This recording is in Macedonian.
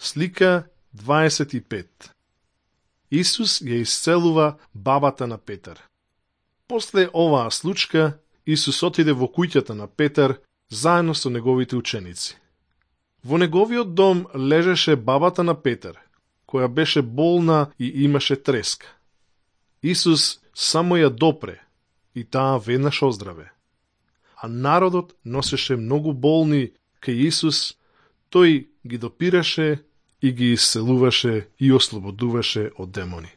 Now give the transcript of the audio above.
Слика 25. Исус ја исцелува бабата на Петар. После оваа случка, Исус отиде во куќата на Петар заедно со неговите ученици. Во неговиот дом лежеше бабата на Петар, која беше болна и имаше треска. Исус само ја допре и таа веднаш оздраве. А народот носеше многу болни кај Исус, тој ги допираше и ги исцелуваше и ослободуваше од демони.